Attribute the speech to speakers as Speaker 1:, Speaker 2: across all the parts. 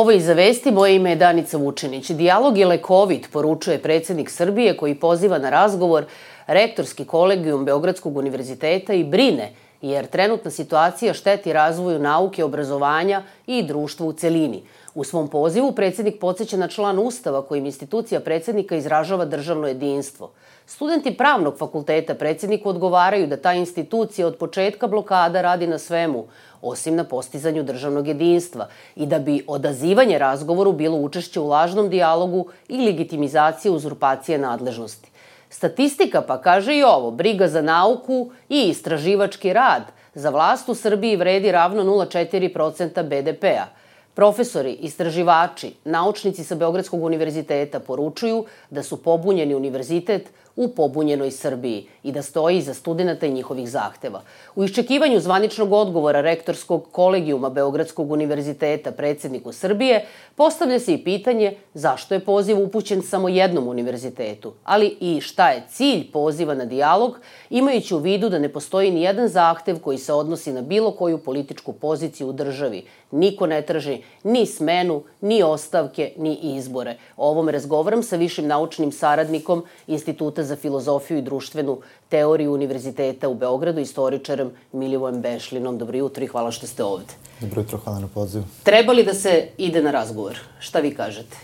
Speaker 1: Ovo Iza vesti, moje ime je Danica Vučinić. Dijalog je lekovit, poručuje predsjednik Srbije koji poziva na razgovor rektorski kolegijum Beogradskog univerziteta i brine, jer trenutna situacija šteti razvoju nauke, obrazovanja i društva u celini. U svom pozivu predsjednik podsjeća na član Ustava kojim institucija predsjednika izražava državno jedinstvo. Studenti Pravnog fakulteta predsjedniku odgovaraju da ta institucija od početka blokada radi na svemu, osim na postizanju državnog jedinstva, i da bi odazivanje razgovoru bilo učešće u lažnom dijalogu i legitimizacija uzurpacije nadležnosti. Statistika pa kaže i ovo, briga za nauku i istraživački rad za vlast u Srbiji vredi ravno 0,4% BDP-a. Profesori, istraživači, naučnici sa Beogradskog univerziteta poručuju da su pobunjeni univerzitet u pobunjenoj Srbiji i da stoji iza studenata i njihovih zahteva. U iščekivanju zvaničnog odgovora rektorskog kolegijuma Beogradskog univerziteta predsjedniku Srbije postavlja se i pitanje zašto je poziv upućen samo jednom univerzitetu, ali i šta je cilj poziva na dijalog, imajući u vidu da ne postoji ni jedan zahtev koji se odnosi na bilo koju političku poziciju u državi. Niko ne traži ni smenu, ni ostavke, ni izbore. O ovome razgovaram sa višim naučnim saradnikom Instituta za filozofiju i društvenu teoriju Univerziteta u Beogradu, istoričarem Milivojem Bešlinom. Dobro jutro i hvala što ste ovde.
Speaker 2: Dobro jutro, hvala na pozivu.
Speaker 1: Treba li da se ide na razgovor? Šta vi kažete?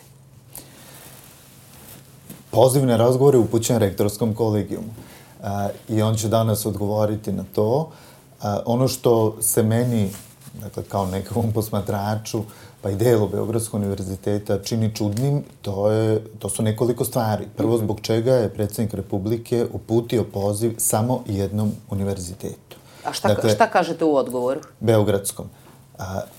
Speaker 2: Poziv na razgovor je upućen rektorskom kolegijumu i on će danas odgovoriti na to. Ono što se meni, dakle, kao nekakvom posmatraču, pa i delu Beogradskog univerziteta čini čudnim, to su nekoliko stvari. Prvo, zbog čega je predsjednik Republike uputio poziv samo jednom univerzitetu.
Speaker 1: A šta kažete u odgovoru?
Speaker 2: Beogradskom.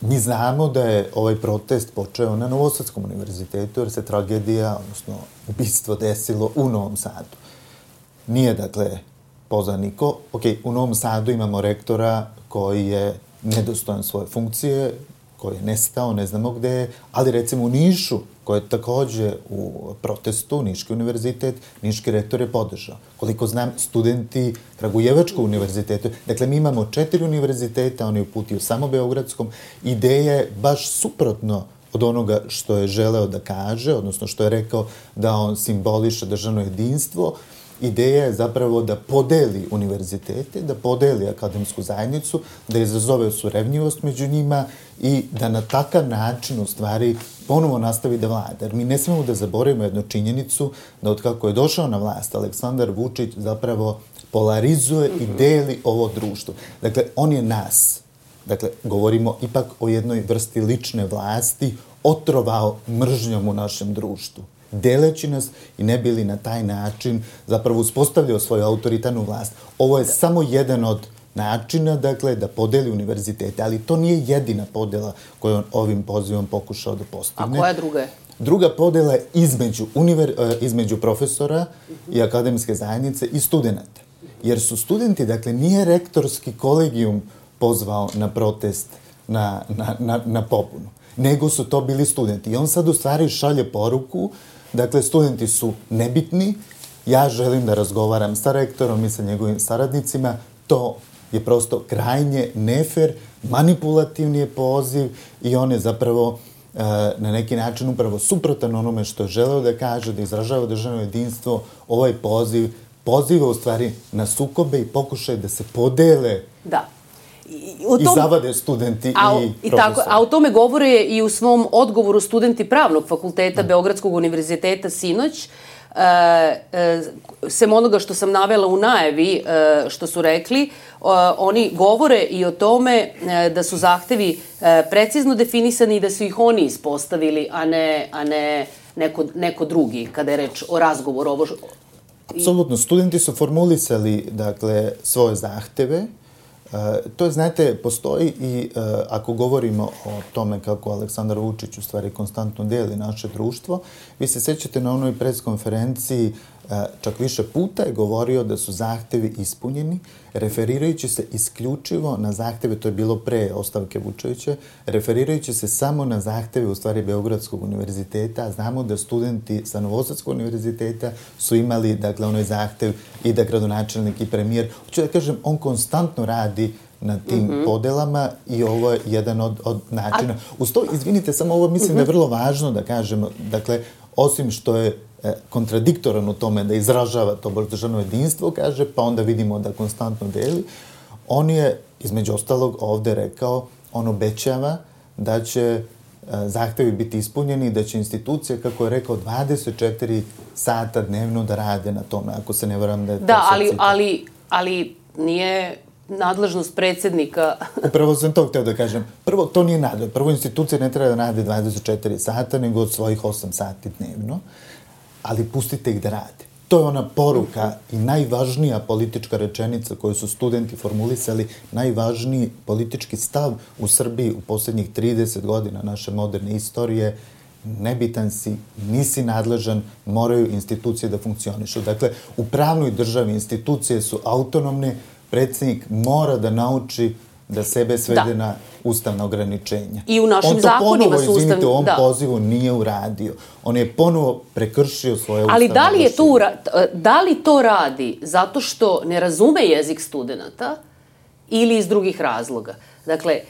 Speaker 2: Mi znamo da je ovaj protest počeo na Novosadskom univerzitetu, jer se tragedija, odnosno ubistvo, desilo u Novom Sadu. Nije, dakle, pozvan niko. U Novom Sadu imamo rektora koji je nedostojan svoje funkcije, koji je nestao, ne znamo gde je, ali recimo u Nišu, koji je takođe u protestu, Niški univerzitet, Niški rektor je podržao. Koliko znam, studenti Kragujevačkog univerziteta, dakle mi imamo 4 univerziteta, on je uputio samo Beogradskom, ideja je baš suprotno od onoga što je želeo da kaže, odnosno što je rekao da on simboliše državno jedinstvo. Ideja je zapravo da podeli univerzitete, da podeli akademsku zajednicu, da izazove surevnjivost među njima i da na takav način, u stvari, ponovo nastavi da vlada. Jer mi ne smemo da zaboravimo jednu činjenicu da od kako je došao na vlast Aleksandar Vučić zapravo polarizuje i deli ovo društvo. Dakle, on je nas, dakle, govorimo ipak o jednoj vrsti lične vlasti, otrovao mržnjom u našem društvu, deleći nas i ne bili na taj način zapravo uspostavljao svoju autoritarnu vlast. Ovo je samo jedan od načina, dakle, da podeli univerzitete, ali to nije jedina podela koju on ovim pozivom pokušao da postigne.
Speaker 1: A koja druga je?
Speaker 2: Druga podela je između profesora i akademske zajednice i studenta. Jer su studenti, dakle, nije rektorski kolegijum pozvao na protest, na pobunu, nego su to bili studenti. I on sad u stvari šalje poruku, dakle, studenti su nebitni, ja želim da razgovaram sa rektorom i sa njegovim saradnicima, to je prosto krajnje nefer, manipulativni je poziv i on je zapravo na neki način upravo suprotan onome što je želeo da kaže, da izražava državno jedinstvo. Ovaj poziv poziva u stvari na sukobe i pokušaj da se podele i zavade studenti i profesori.
Speaker 1: A o tome govore i u svom odgovoru studenti Pravnog fakulteta Beogradskog univerziteta sinoć. Sem onoga što sam navela u najavi što su rekli, oni govore i o tome da su zahtevi precizno definisani i da su ih oni ispostavili, a ne neko drugi, kada je reč o razgovoru.
Speaker 2: Apsolutno, studenti su formulisali, dakle, svoje zahteve. To, znate, postoji i ako govorimo o tome kako Aleksandar Vučić u stvari konstantno deli naše društvo, vi se sećate na onoj preskonferenciji čak više puta je govorio da su zahtevi ispunjeni, referirajući se isključivo na zahteve, to je bilo pre ostavke Vučevića, referirajući se samo na zahteve u stvari Beogradskog univerziteta. Znamo da studenti sa Novosadskog univerziteta su imali, dakle, onaj zahtev i da gradonačelnik i premijer. Hoću da kažem, on konstantno radi na tim podelama i ovo je jedan od načina. Uz to, izvinite, samo ovo mislim da je vrlo važno da kažemo, dakle, osim što je kontradiktoran u tome da izražava to državno jedinstvo, kaže, pa onda vidimo da konstantno deli, on je, između ostalog, ovde rekao, on obećava da će zahtevi biti ispunjeni i da će institucije, kako je rekao, 24 sata dnevno da rade na tome, ako se ne varam da je to
Speaker 1: ali nije nadležnost predsjednika.
Speaker 2: Upravo sam to hteo da kažem. Prvo, to nije nadležnost. Prvo, institucije ne treba da rade 24 sata, nego od svojih 8 sati dnevno, ali pustite ih da rade. To je ona poruka i najvažnija politička rečenica koju su studenti formulisali, najvažniji politički stav u Srbiji u poslednjih 30 godina naše moderne istorije. Nebitan si, nisi nadležan, moraju institucije da funkcionišu. Dakle, u pravnoj državi institucije su autonomne, predsjednik mora da nauči da sebe svede na ustavna ograničenja.
Speaker 1: I u našim zakonima su ustavni...
Speaker 2: On to ponovo, pozivu nije uradio. On je ponovo prekršio svoje ustavne
Speaker 1: ali da li to radi zato što ne razume jezik studenta ili iz drugih razloga? Dakle,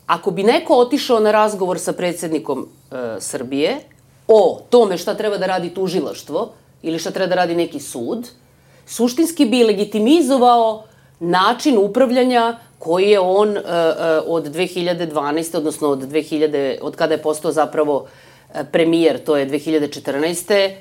Speaker 1: ako bi neko otišao na razgovor sa predsjednikom Srbije o tome šta treba da radi tužilaštvo ili šta treba da radi neki sud, suštinski bi legitimizovao način upravljanja koji je on od 2012. odnosno od kada je postao zapravo premijer, to je 2014.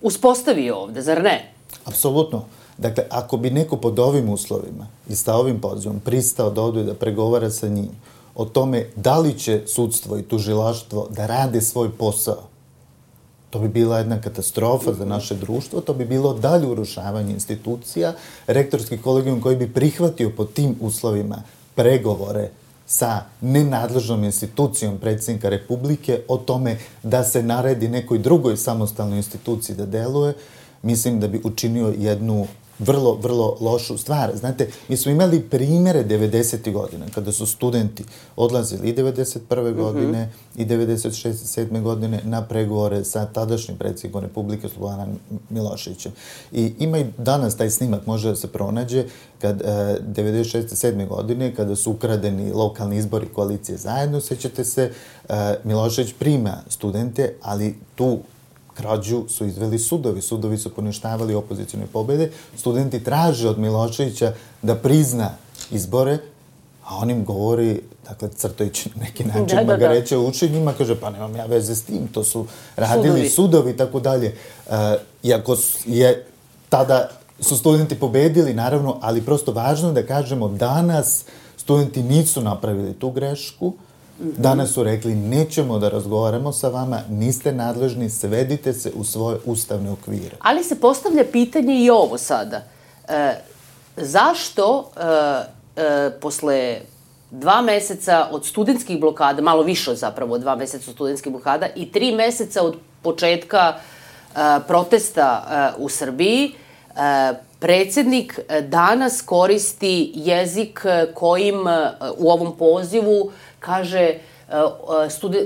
Speaker 1: Uspostavio ovde, zar ne?
Speaker 2: Apsolutno. Dakle, ako bi neko pod ovim uslovima i sa ovim pozivom pristao da ode da pregovara sa njim o tome da li će sudstvo i tužilaštvo da rade svoj posao, to bi bila jedna katastrofa za naše društvo, to bi bilo dalje urušavanje institucija, rektorski kolegijum koji bi prihvatio pod tim uslovima pregovore sa nenadležnom institucijom predsjednika Republike o tome da se naredi nekoj drugoj samostalnoj instituciji da deluje, mislim da bi učinio jednu vrlo, vrlo lošu stvar. Znate, mi smo imali primere 90. godina, kada su studenti odlazili i 91. godine i 96. 7. godine na pregovore sa tadašnjim predsjednikom Republike Slobodanom Miloševićem. I ima i danas taj snimak, može da se pronađe, kad 96. 7. godine, kada su ukradeni lokalni izbori koalicije zajedno, sećate se, Milošević prima studente, ali tu krađu su izveli sudovi. Sudovi su poništavali opozicijne pobede. Studenti traže od Miloševića da prizna izbore, a on im govori, dakle, crtajući na neki način magareće u uši, njima kaže, pa nemam ja veze s tim, to su radili sudovi i tako dalje. Iako je tada su studenti pobedili, naravno, ali prosto važno da kažemo, danas studenti nisu napravili tu grešku. Danas su rekli, nećemo da razgovaramo sa vama, niste nadležni, svedite se u svoje ustavne okvire.
Speaker 1: Ali se postavlja pitanje i ovo sada. Zašto posle 2 meseca od studentskih blokada, malo više zapravo od 2 meseca od studentskih blokada i 3 meseca od početka protesta u Srbiji, predsjednik danas koristi jezik kojim u ovom pozivu kaže,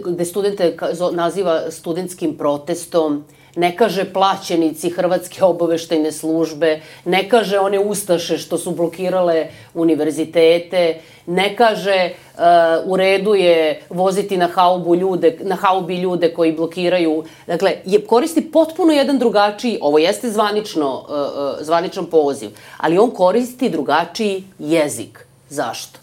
Speaker 1: gde studente naziva studentskim protestom, ne kaže plaćenici Hrvatske obaveštajne službe, ne kaže one ustaše što su blokirale univerzitete, ne kaže u redu je voziti na haubi ljude koji blokiraju. Dakle, koristi potpuno jedan drugačiji, ovo jeste zvaničan poziv, ali on koristi drugačiji jezik. Zašto?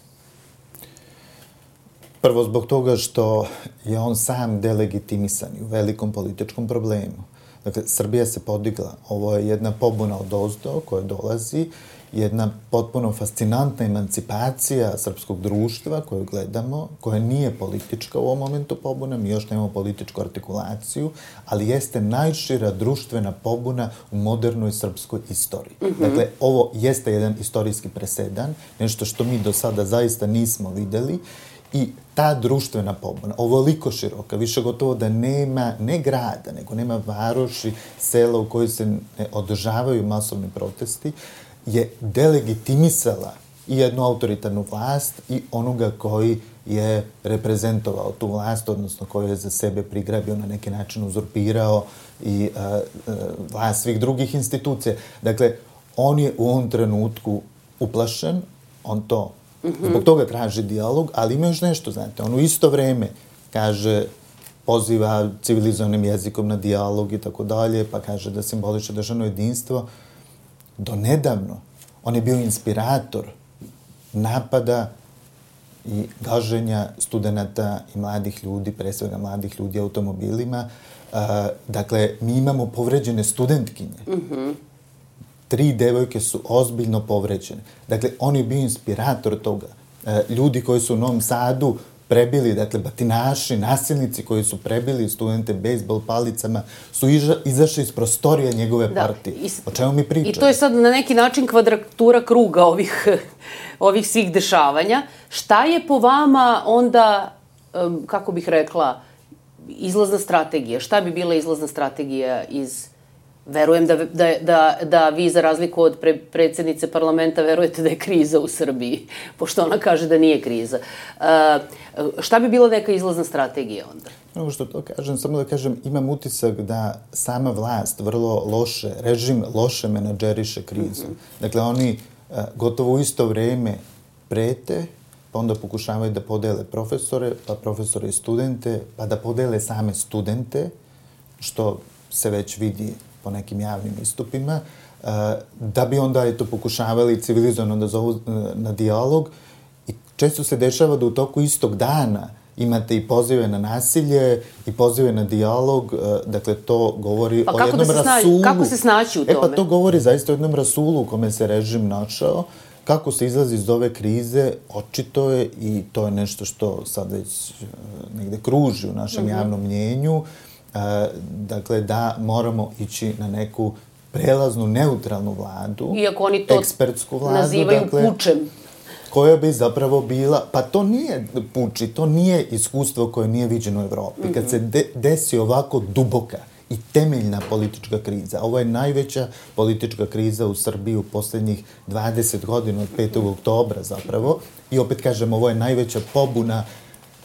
Speaker 2: Prvo, zbog toga što je on sam delegitimisan i u velikom političkom problemu. Dakle, Srbija se podigla. Ovo je jedna pobuna odozdo koja dolazi, jedna potpuno fascinantna emancipacija srpskog društva koju gledamo, koja nije politička u ovom momentu pobuna, mi još nemamo političku artikulaciju, ali jeste najšira društvena pobuna u modernoj srpskoj istoriji. Dakle, ovo jeste jedan istorijski presedan, nešto što mi do sada zaista nismo videli. I ta društvena pobuna, ovoliko široka, više gotovo da nema ne grada, nego nema varoši, sela u kojoj se ne održavaju masovni protesti, je delegitimisala i jednu autoritarnu vlast i onoga koji je reprezentovao tu vlast, odnosno koji je za sebe prigrabio, na neki način uzurpirao i vlast svih drugih institucija. Dakle, on je u ovom trenutku uplašen, on to Zbog toga traži dijalog, ali ima još nešto, znate, on u isto vreme kaže, poziva civilizovanim jezikom na dijalog i tako dalje, pa kaže da simboliše državno jedinstvo. Do nedavno on je bio inspirator napada i gaženja studenta i mladih ljudi, pre svega mladih ljudi automobilima. Dakle, mi imamo povređene studentkinje. 3 devojke su ozbiljno povređene. Dakle, on je bio inspirator toga. Ljudi koji su u Novom Sadu prebili, dakle, batinaši, nasilnici koji su prebili studente bejsbol palicama, su izašli iz prostorija njegove partije. O čemu mi pričamo?
Speaker 1: I to je sad na neki način kvadratura kruga ovih svih dešavanja. Šta je po vama onda, kako bih rekla, izlazna strategija? Šta bi bila izlazna strategija iz... Verujem da vi, za razliku od predsjednice parlamenta, verujete da je kriza u Srbiji, pošto ona kaže da nije kriza. Šta bi bila neka izlazna strategija onda?
Speaker 2: Ono što to kažem, samo da kažem, imam utisak da sama vlast vrlo loše, režim loše menadžeriše krizu. Dakle, oni gotovo u isto vreme prete, pa onda pokušavaju da podele profesore, pa profesore i studente, pa da podele same studente, što se već vidi po nekim javnim istupima, da bi onda pokušavali civilizovano da zovu na dijalog. I često se dešava da u toku istog dana imate i pozive na nasilje i pozive na dijalog, dakle to govori o jednom rasulu.
Speaker 1: Kako se snaći u tome?
Speaker 2: Pa to govori zaista o jednom rasulu u kome se režim našao. Kako se izlazi iz ove krize, očito je, i to je nešto što sad već negde kruži u našem javnom mnjenju, dakle, da moramo ići na neku prelaznu, neutralnu vladu,
Speaker 1: iako oni to
Speaker 2: ekspertsku vladu,
Speaker 1: nazivaju pučem.
Speaker 2: Koja bi zapravo bila, pa to nije puči, to nije iskustvo koje nije viđeno u Evropi. Kad se desi ovako duboka i temeljna politička kriza, ovo je najveća politička kriza u Srbiji u poslednjih 20 godina, od 5. oktobra zapravo, i opet kažem, ovo je najveća pobuna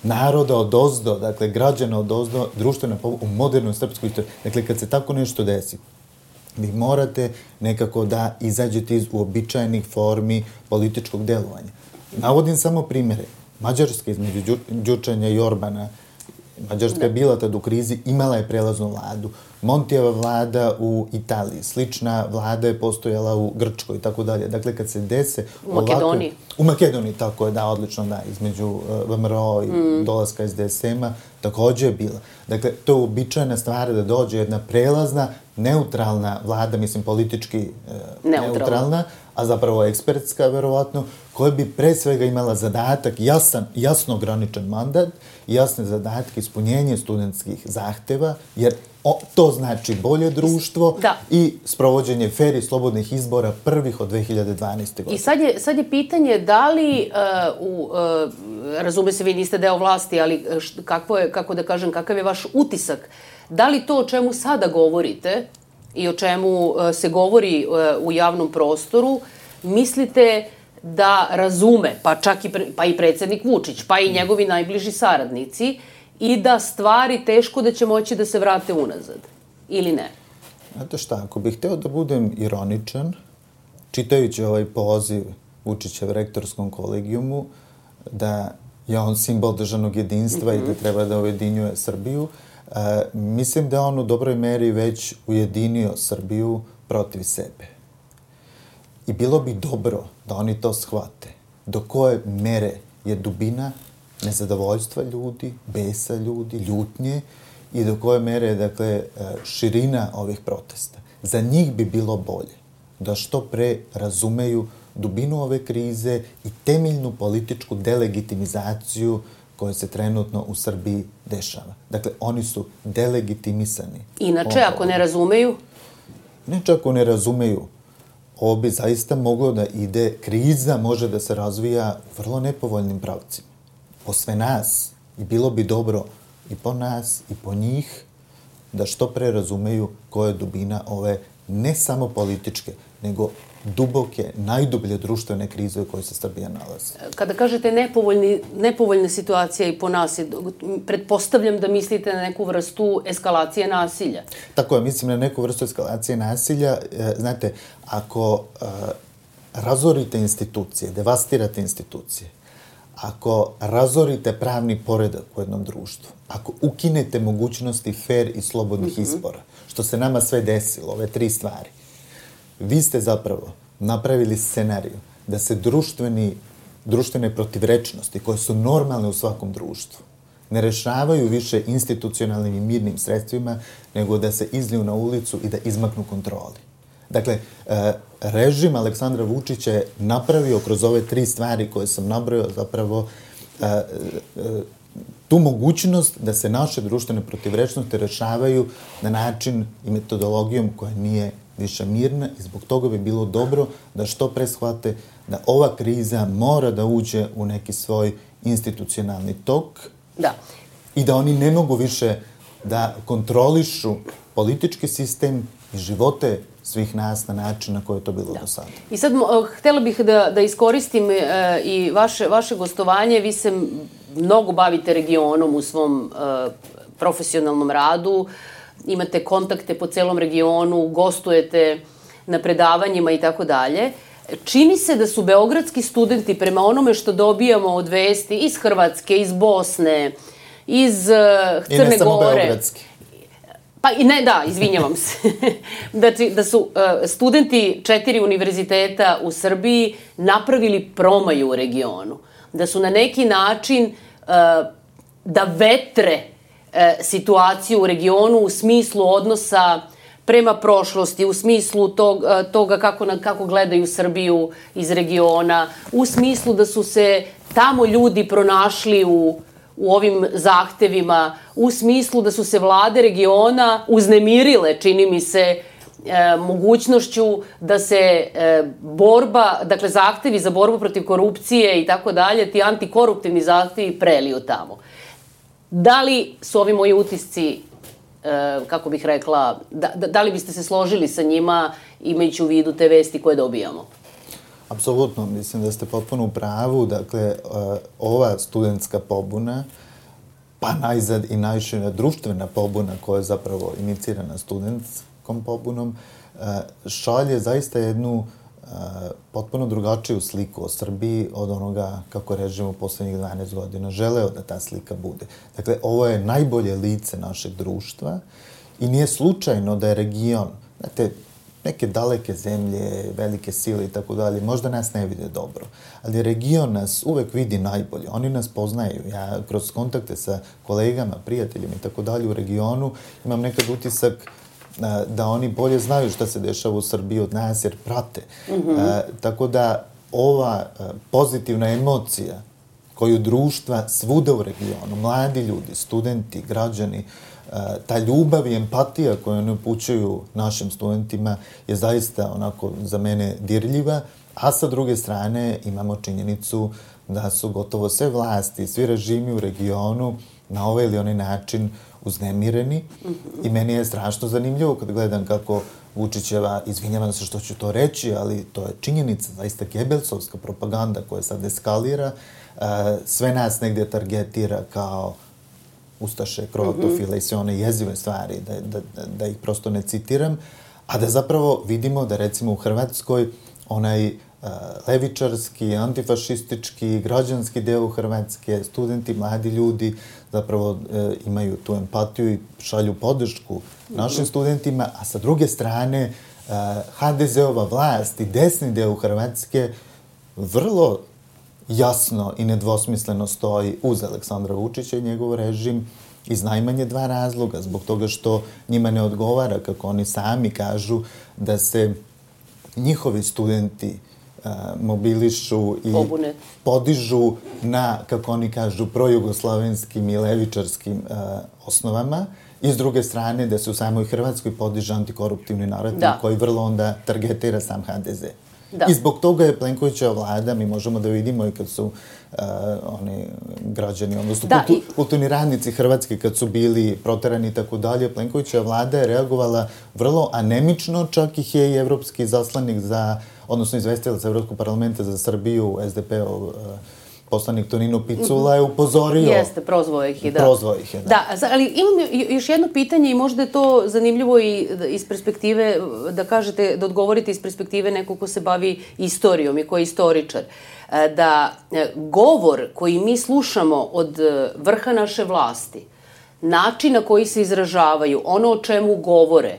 Speaker 2: naroda odozdo, dakle, građana odozdo, društvena pobuna u modernoj srpskoj istoriji. Dakle, kad se tako nešto desi, vi morate nekako da izađete iz uobičajenih formi političkog delovanja. Navodim samo primere. Mađarska između Đurčanja i Orbana, Mađarska je bila tad u krizi, imala je prelaznu vladu. Montijeva vlada u Italiji, slična vlada je postojala u Grčkoj i tako dalje. Dakle, kad se dese...
Speaker 1: U Makedoniji.
Speaker 2: U Makedoniji, tako je, da, odlično, da, između VMRO i dolaska SDSM-a, takođe je bila. Dakle, to je uobičajena stvar da dođe jedna prelazna, neutralna vlada, mislim, politički neutralna, a zapravo ekspertska, verovatno, koja bi pre svega imala zadatak, jasno ograničen mandat, jasne zadatke, ispunjenje studentskih zahteva, jer to znači bolje društvo i sprovođenje fer i slobodnih izbora prvih od 2012. godine.
Speaker 1: I sad je pitanje da li, razume se, vi niste deo vlasti, ali kako da kažem, kakav je vaš utisak, da li to o čemu sada govorite i o čemu se govori u javnom prostoru, mislite da razume, pa čak i predsjednik Vučić, pa i njegovi najbliži saradnici, i da stvari teško da će moći da se vrate unazad, ili ne?
Speaker 2: Znate šta, ako bih hteo da budem ironičan, čitajući ovaj poziv Vučićev rektorskom kolegijumu, da je on simbol državnog jedinstva i da treba da ujedinjuje Srbiju, mislim da je on u dobroj meri već ujedinio Srbiju protiv sebe. I bilo bi dobro da oni to shvate. Do koje mere je dubina nezadovoljstva ljudi, besa ljudi, ljutnje, i do koje mere je, dakle, širina ovih protesta. Za njih bi bilo bolje da što pre razumeju dubinu ove krize i temeljnu političku delegitimizaciju koja se trenutno u Srbiji dešava. Dakle, oni su delegitimisani.
Speaker 1: Inače, ako ne razumeju?
Speaker 2: Inače, ako ne razumeju, ovo bi zaista moglo da ide, kriza može da se razvija u vrlo nepovoljnim pravcima. Po sve nas, i bilo bi dobro i po nas i po njih, da što pre razumeju koja je dubina ove ne samo političke, nego duboke, najdublje društvene krize u kojoj se Srbija nalazi.
Speaker 1: Kada kažete nepovoljna situacija i po nas, pretpostavljam da mislite na neku vrstu eskalacije nasilja.
Speaker 2: Tako je, mislim na neku vrstu eskalacije nasilja. Znate, ako razorite institucije, devastirate institucije, ako razorite pravni poredak u jednom društvu, ako ukinete mogućnosti fair i slobodnih izbora, što se nama sve desilo, ove 3 stvari, vi ste zapravo napravili scenariju da se društvene protivrečnosti, koje su normalne u svakom društvu, ne rešavaju više institucionalnim i mirnim sredstvima, nego da se izliju na ulicu i da izmaknu kontroli. Dakle, režim Aleksandra Vučića je napravio kroz ove 3 stvari koje sam nabrojao zapravo tu mogućnost da se naše društvene protivrečnosti rešavaju na način i metodologijom koja nije više mirna i zbog toga bi bilo dobro da što pre shvate da ova kriza mora da uđe u neki svoj institucionalni tok i da oni ne mogu više da kontrolišu politički sistem i živote svih nas na način na koji je to bilo do sada.
Speaker 1: I sad htela bih da iskoristim i vaše gostovanje. Vi se mnogo bavite regionom u svom profesionalnom radu, imate kontakte po celom regionu, gostujete na predavanjima i tako dalje. Čini se da su beogradski studenti, prema onome što dobijamo od vesti iz Hrvatske, iz Bosne, iz Crne Gore...
Speaker 2: I ne samo beogradski.
Speaker 1: Pa i ne, da, izvinjavam se. Da su studenti 4 univerziteta u Srbiji napravili promaju u regionu. Da su na neki način da vetre situaciju u regionu u smislu odnosa prema prošlosti, u smislu toga kako gledaju Srbiju iz regiona, u smislu da su se tamo ljudi pronašli u ovim zahtevima, u smislu da su se vlade regiona uznemirile, čini mi se, mogućnošću da se dakle zahtevi za borbu protiv korupcije i tako dalje, ti antikoruptivni zahtevi preliju tamo. Da li su ovi moji utisci, kako bih rekla, da li biste se složili sa njima imajući u vidu te vesti koje dobijamo?
Speaker 2: Apsolutno, mislim da ste potpuno u pravu. Dakle, ova studentska pobuna, pa najzad i najšira društvena pobuna koja je zapravo inicirana studentskom pobunom, šalje zaista jednu potpuno drugačiju sliku o Srbiji od onoga kako režim u poslednjih 12 godina želeo da ta slika bude. Dakle, ovo je najbolje lice našeg društva i nije slučajno da je region, znate, neke daleke zemlje, velike sile i tako dalje, možda nas ne vide dobro, ali region nas uvek vidi najbolje. Oni nas poznaju. Ja kroz kontakte sa kolegama, prijateljima i tako dalje u regionu imam nekad utisak da oni bolje znaju šta se dešava u Srbiji od nas jer prate. Tako da ova pozitivna emocija koju društva svuda u regionu, mladi ljudi, studenti, građani, ta ljubav i empatija koju oni upućuju našim studentima je zaista onako za mene dirljiva, a sa druge strane imamo činjenicu da su gotovo sve vlasti, svi režimi u regionu na ovaj ili onaj način uznemireni i meni je strašno zanimljivo kad gledam kako Vučićeva, izvinjavam se što ću to reći, ali to je činjenica, zaista Gebelsovska propaganda koja sad eskalira, sve nas negdje targetira kao ustaše, kroatofile i sve one jezive stvari, da ih prosto ne citiram, a da zapravo vidimo da recimo u Hrvatskoj onaj levičarski, antifašistički, građanski deo Hrvatske, studenti, mladi ljudi zapravo imaju tu empatiju i šalju podršku našim studentima, a sa druge strane HDZ-ova vlast i desni deo Hrvatske vrlo jasno i nedvosmisleno stoji uz Aleksandra Vučića i njegov režim iz najmanje 2 razloga. Zbog toga što njima ne odgovara, kako oni sami kažu, da se njihovi studenti mobilišu i podižu na, kako oni kažu, projugoslovenskim i levičarskim osnovama i s druge strane da se u samoj Hrvatskoj podiže antikoruptivni narativ koji vrlo onda targetira sam HDZ. I zbog toga je Plenkovićeva vlada, mi možemo da vidimo i kad su oni građani, odnosno kulturni radnici Hrvatske kad su bili proterani i tako dalje, Plenkovićeva vlada je reagovala vrlo anemično, čak ih je i evropski zaslanik za, odnosno izvestilac Evropskog parlamenta za Srbiju, SDP-ov poslanik Tonino Picula je upozorio.
Speaker 1: Jeste, prozvao ih je, da.
Speaker 2: Prozvao ih je, da.
Speaker 1: Da, ali imam još jedno pitanje i možda je to zanimljivo i iz perspektive, da kažete, da odgovorite iz perspektive nekog ko se bavi istorijom i ko je istoričar. Da govor koji mi slušamo od vrha naše vlasti, način na koji se izražavaju, ono o čemu govore,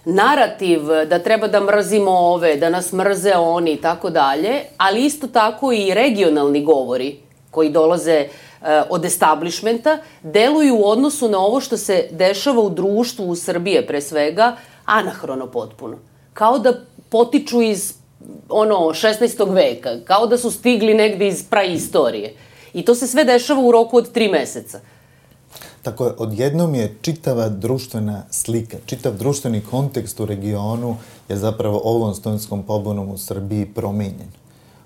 Speaker 1: narativ da treba da mrzimo ove, da nas mrze oni i tako dalje, ali isto tako i regionalni govori koji dolaze od establishmenta, deluju u odnosu na ovo što se dešava u društvu u Srbije pre svega, anahrono potpuno. Kao da potiču iz 16. veka, kao da su stigli negde iz praistorije. I to se sve dešava u roku od 3 meseca.
Speaker 2: Tako je, odjednom je čitava društvena slika, čitav društveni kontekst u regionu je zapravo ovom studentskom pobunom u Srbiji promenjen.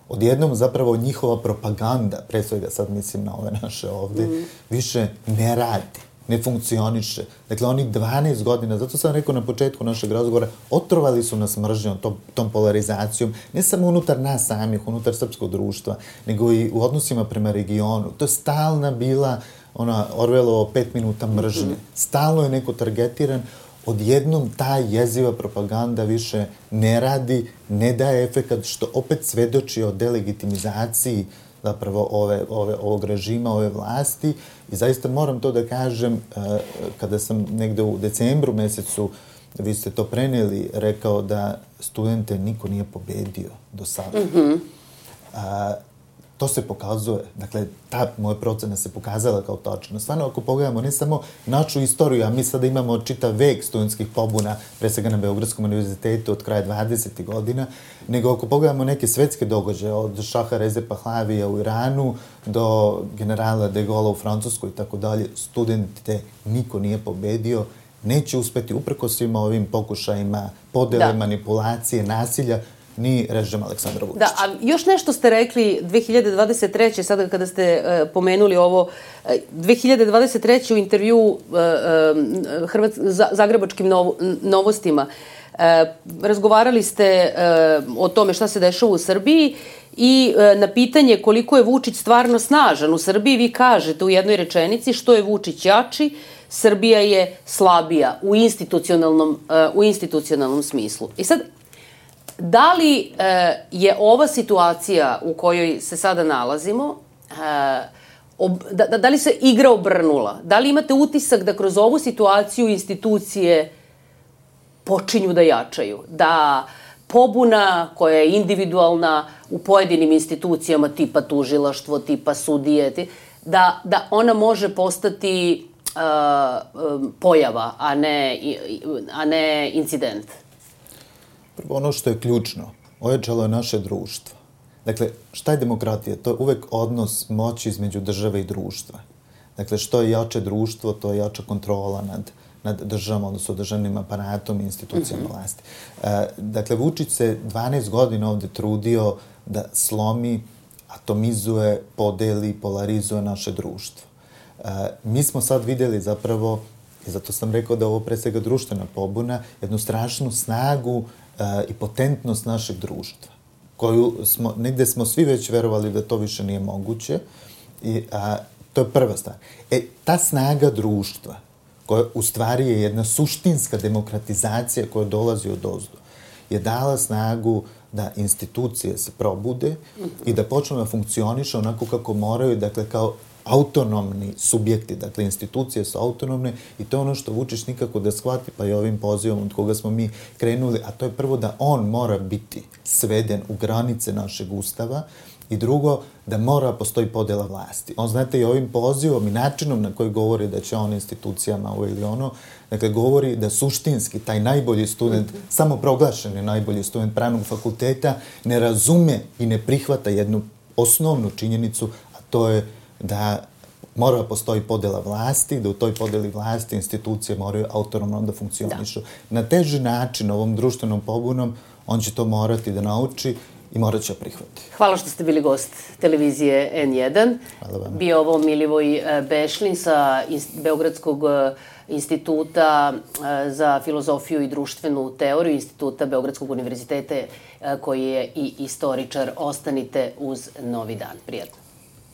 Speaker 2: Odjednom zapravo njihova propaganda, pre svega sad mislim na ove naše ovde, više ne radi, ne funkcioniše. Dakle, onih 12 godina, zato sam rekao na početku našeg razgovora, otrovali su nas mržnjom, tom polarizacijom, ne samo unutar nas samih, unutar srpskog društva, nego i u odnosima prema regionu. To je stalna bila Orwellovo 5 minuta mržnje. Stalno je neko targetiran, odjednom ta jeziva propaganda više ne radi, ne daje efekat, što opet svedoči o delegitimizaciji zapravo ovog režima, ove vlasti. I zaista moram to da kažem, kada sam negde u decembru mesecu, vi ste to preneli, rekao da studente niko nije pobedio do sada. To se pokazuje, dakle, ta moja procena se pokazala kao tačna. Stvarno, ako pogledamo ne samo našu istoriju, a mi sada imamo čitav vek studentskih pobuna, pre svega na Beogradskom univerzitetu od kraja 20. godina, nego ako pogledamo neke svetske događaje, od Šaha Reze Pahlavija u Iranu do generala de Gaulle u Francuskoj i tako dalje, studente niko nije pobedio, neće uspeti uprkos svima ovim pokušajima podele, manipulacije, nasilja, ni režim Aleksandra Vučića.
Speaker 1: Da, a još nešto ste rekli 2023. sada kada ste pomenuli ovo, 2023. u intervju Zagrebačkim novostima razgovarali ste o tome šta se dešava u Srbiji i na pitanje koliko je Vučić stvarno snažan u Srbiji, vi kažete u jednoj rečenici što je Vučić jači, Srbija je slabija u institucionalnom smislu. I sad, da li je ova situacija u kojoj se sada nalazimo, da li se igra obrnula? Da li imate utisak da kroz ovu situaciju institucije počinju da jačaju? Da pobuna koja je individualna u pojedinim institucijama tipa tužilaštvo, tipa sudije, da ona može postati pojava, a ne incident?
Speaker 2: Prvo, ono što je ključno, ojačalo je naše društvo. Dakle, šta je demokratija? To je uvek odnos moći između države i društva. Dakle, što je jače društvo, to je jača kontrola nad državom, odnosno državnim aparatom i institucijama vlasti. Dakle, Vučić se 12 godina ovde trudio da slomi, atomizuje, podeli, polarizuje naše društvo. Mi smo sad videli zapravo, i zato sam rekao da ovo pre svega društvena pobuna, jednu strašnu snagu i potentnost našeg društva, koju negde smo svi već verovali da to više nije moguće, i to je prva stvar. Ta snaga društva, koja u stvari je jedna suštinska demokratizacija koja dolazi od ozdo, je dala snagu da institucije se probude i da počnu da funkcionišu onako kako moraju, dakle kao autonomni subjekti, dakle institucije su autonomne i to je ono što Vučić nikako da shvati, pa i ovim pozivom od koga smo mi krenuli, a to je prvo da on mora biti sveden u granice našeg ustava i drugo, da mora postoji podela vlasti. On, znate, i ovim pozivom i načinom na koji govori da će on institucijama ovo ili ono, dakle, govori da suštinski taj najbolji student, samoproglašeni najbolji student pravnog fakulteta, ne razume i ne prihvata jednu osnovnu činjenicu, a to je da mora postoji podela vlasti, da u toj podeli vlasti institucije moraju autonomno da funkcionišu. Na teži način, ovom društvenom pobunom, on će to morati da nauči i morat će prihvati.
Speaker 1: Hvala što ste bili gost televizije N1.
Speaker 2: Hvala vam.
Speaker 1: Bio ovo Milivoj Bešlin sa Beogradskog instituta za filozofiju i društvenu teoriju, instituta Beogradskog univerziteta, koji je i istoričar. Ostanite uz Novi dan. Prijatno.